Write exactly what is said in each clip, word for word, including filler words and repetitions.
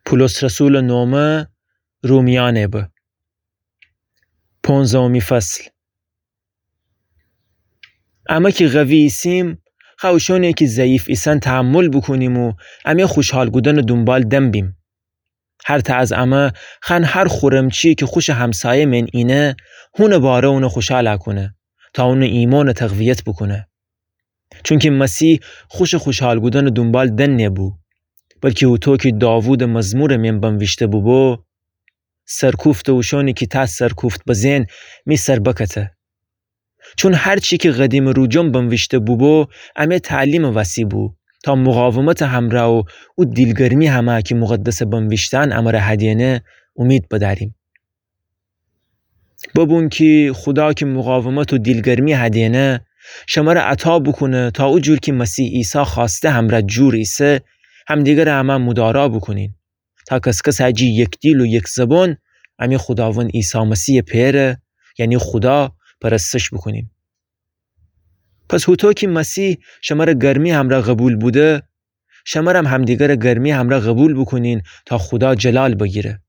پولس رسولٚ نومه رومیأنٚ به. پونزدهمی فصل. امه کی قوی ایسیم، خوأ اوشأنی کی ضعیف ایسن تحمل بوکونیم و امه خوشحال کودنٚ دونبال دن بیم. هر تأ از امه خوأن هر خورمچی کی خوشٚ همسایه مئن اینه، هونٚ باره اونه خوشحال کونه، تا اونٚ ایمأنٚ تقویت بوکونه. چونکی مسیح خوشٚ خوشحال کودنٚ دونبال دن نبو، بلکی هوطو کی داوودٚ مزمورٚ مئن بنویشته بوبو: سرکوفتٚ اوشأنی کی تأ سرکوفت بزه‌ن می سر بکته. چون هر چی کی قدیمٚ روجم بنویشته بوبو، امه تعلیمٚ وسی بو، تا مقاومتٚ همرأ و او دیلگرمی همه کی مقدسٚ بنویشتأن امره هدینه، اومید بدأریم. ببون کی خودا کی مقاومت و دیلگرمی هدینه، شمره عطا بوکونه تا او جور کی مسیح عیسی خوأسته همرأ جور ایسه، همدیگره امه مدارا بوکونین. تا کس‌کس جی یک دیل و یک زبان، امی خوداوند عیسی مسیحٚ پئره، یعنی خودا، پرستش بوکونیم. پس هوطو کی مسیح شمره گرمی همرأ قوبیل بوده، شمرم همدیگره گرمی همرأ قوبیل بوکونین تا خودا جلال بگیره.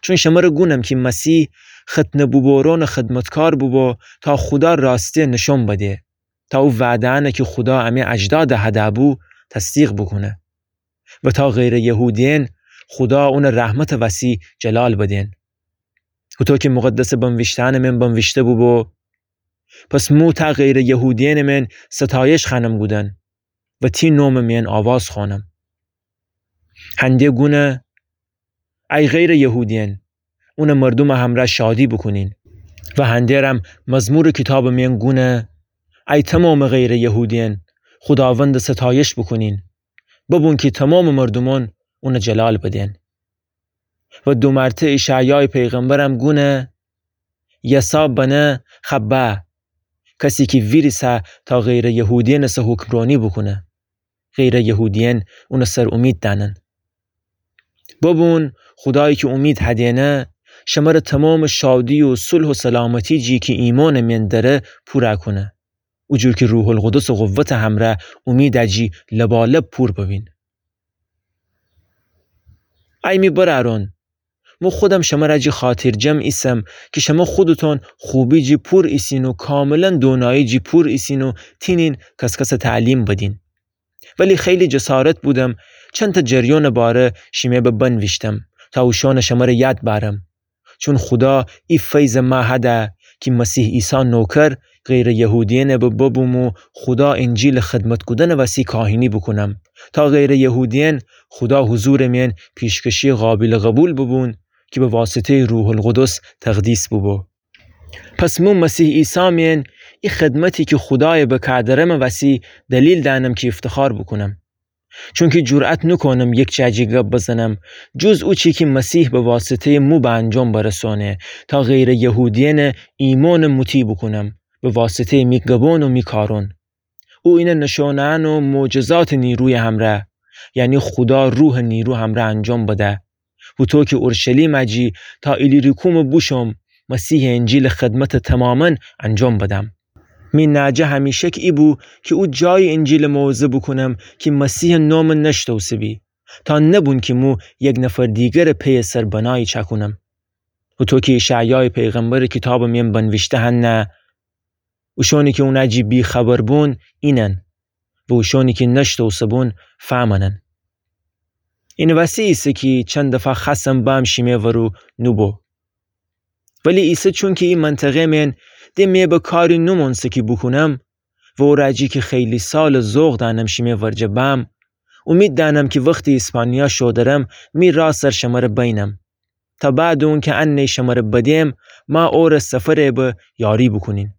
چون شمره گونم کی مسیح ختنه بوبورونٚ خدمتکار بوبو تا خودا راستی نشون بده، تا او وعده‌یأنه کی خودا امی اجداد هده بو تصدیق بوکونه و تا غیرٚ یهودیین خودا اونٚ رحمتٚ وسی جلال بدین. هوطو کی مقدسٚ بنویشته‌یأنٚ مئن بنویشته بوبو: پس مو تا غیرٚ یهودیینٚ مئن ستایش خوأنم کودن و تی نومٚ مئن آواز خوأنم. هنده گونه: ای غیرٚ یهودیین، اونٚ مردومٚ همرأ شادی بوکونین. و هنده‌رم مزمورٚ کیتابٚ مئن گونه: ای تومامٚ غیرٚ یهودیین، خوداوندٚ ستایش بوکونین. ببون کی تومامٚ مردومأن اونٚ جلال بدین. و دو مرتأ اشعیایٚ پیغمبرم گونه: یسا بنه خبه، کسی کی ویریسه تا غیرٚ یهودیینٚ سه حکمرأنی بوکونه. غیرٚ یهودیین اونٚ سر اومید دأنن. ببون، خودایی کی اومید هدینه، شمره تومامٚ شادی و صلح و سلامتی جی کی ایمأنٚ مئن دره پورَ کونه. او جور کی روح‌القدسٚ قوتٚ همرأ اومیدٚ جی لبالب پور ببین. ای می برأرأن، مو خودم شمره جی خاطرجم ایسم کی شمو خودتون خوبی جی پور ایسین و کاملاً دونایی جی پور ایسین و تینین کس‌کسٚ تعلیم بدین. ولی خیلی جسارت بودم چندتأ جریانٚ باره شیمه به بنویشتم تا اوشانٚ شمره یاد بأرم. چون خودا ای فیضٚ مه هده کی مسیح عیسی نوکر غیرٚ یهودیینٚ به ببوم و خودا انجیلٚ خدمت کودنٚ وسی کاهینی بوکونم، تا غیرٚ یهودیین خودا حضورٚ مئن پیشکشی قابلٚ قبول ببون کی به واسطه‌یٚ روح‌القدس تقدیس بوبو. پس مو مسیح عیسی مئن ای خدمتی کی خودایٚ به کادرمٚ وسی دلیل دأنم کی افتخار بوکونم. چونکی جرأت نوکونم یک جا جی گب بزنم، جز اوچی کی مسیح به واسطه‌یٚ مو به انجام برسونه، تا غیرٚ یهودیینٚ ایمأنٚ مطیع بوکونم، به واسطه‌یٚ می گبأن و می کارأن. او اینه نشونه‌یأن و معجزاتٚ نیرویٚ همرأ، یعنی خودا روحٚ نیرو همرأ انجام بده. هوطو کی اورشلیمٚ جی تا ایلیریکومٚ بوشوم، مسیحٚ انجیلٚ خدمتٚ تومامأن انجام بدم. می ناجه همیشک ای بو کی او جایی انجیلٚ موعظه بوکونم کی مسیحٚ نومٚ نشتوسه‌بی، تا نبون کی مو یک نفر دیگرٚ پیٚیٚ سر بنایی چأکونم. هوطو کی اشعیایٚ پیغمبرٚ کیتابٚ مئن بنویشته هنه: اوشانی کی اونٚ جی بی‌خبر بون اینن و اوشانی کی نشتوسه‌بون فهمنن. اینٚ وسی ایسه کی چند دفعه خوأستم بأم شیمه ورو نوبو. ولی ایسه چونکی ای منطقه مئن ده مه به کاری نومونسه کی بوکونم و اورٚ جی کی خیلی سالٚ ذوق دأنم شیمه ورجه بأم، اومید دأنم کی وختی اسپانیا شو درم می راه سر شمره بینم. تا بعدٚ اونکی انه شمره بدم، ما اورٚ سفرٚ به یاری بوکونیم.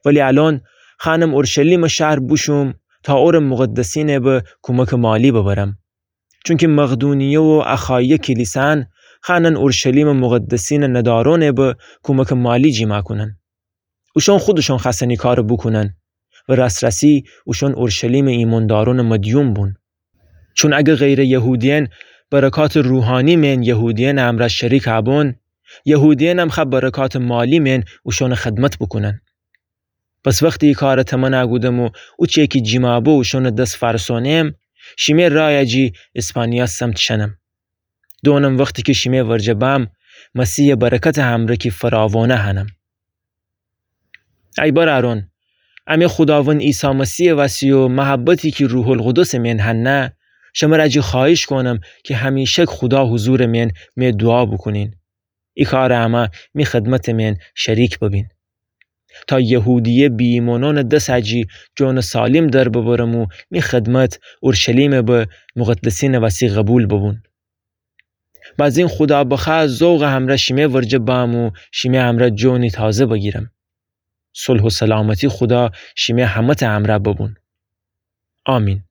ولی الأن خوأنم اورشلیمٚ شهر بوشوم تا اورٚ مقدسینٚ به کومکٚ مالی ببرم. چونکی مقدونیه و اخایه کلیسأن خوأنن اورشلیمٚ مقدسینٚ ندارأنٚ به کومکٚ مالی جیما کونن. اوشأن خودشأن خوأستن ای کارٚ بوکونن و راس‌راسی اوشأن اورشلیمٚ ایمأندارأنٚ مدیون بون. چون اگر غیرٚ یهودیین برکاتٚ روحانی مئن یهودیینٚ امرأ شریک بون، یهودیینم خوأ برکاتٚ مالی مئن اوشأنٚ خدمت بوکونن. پس وختی ای کارٚ تمنا کودم و اوچه کی جیما بو اوشأنٚ دس فأرسأنم، شیمه رایٚ جی اسپانیا سمت شنم. دونم وختی کی شیمه ورجه بم، مسیحٚ برکتٚ همرأ کی فراوانه هنم. ای برأرأن، امی خوداوند عیسی مسیحٚ وسی و محبتی کی روح‌القدسٚ مین هنه، شمر اجی خوأهیش کونم کی همیشک خودا حضورٚ مین می دوعا بوکونین. ای کارٚ امرأ می خدمتٚ مین شریک ببین، تا یهودیه بی‌ایمأنأنٚ دس اجی جانٚ سالم در ببرم و می خدمت اورشلیمٚ به مقدسینٚ وسی قبول ببون. بزین خودا بخوأ ذوقٚ همرأ شیمه ورجه بم و شیمه همرأ جانی تازه بگیرم. صلح و سلامتی خودا شیمه همه‌تأ همرأ ببون. آمین.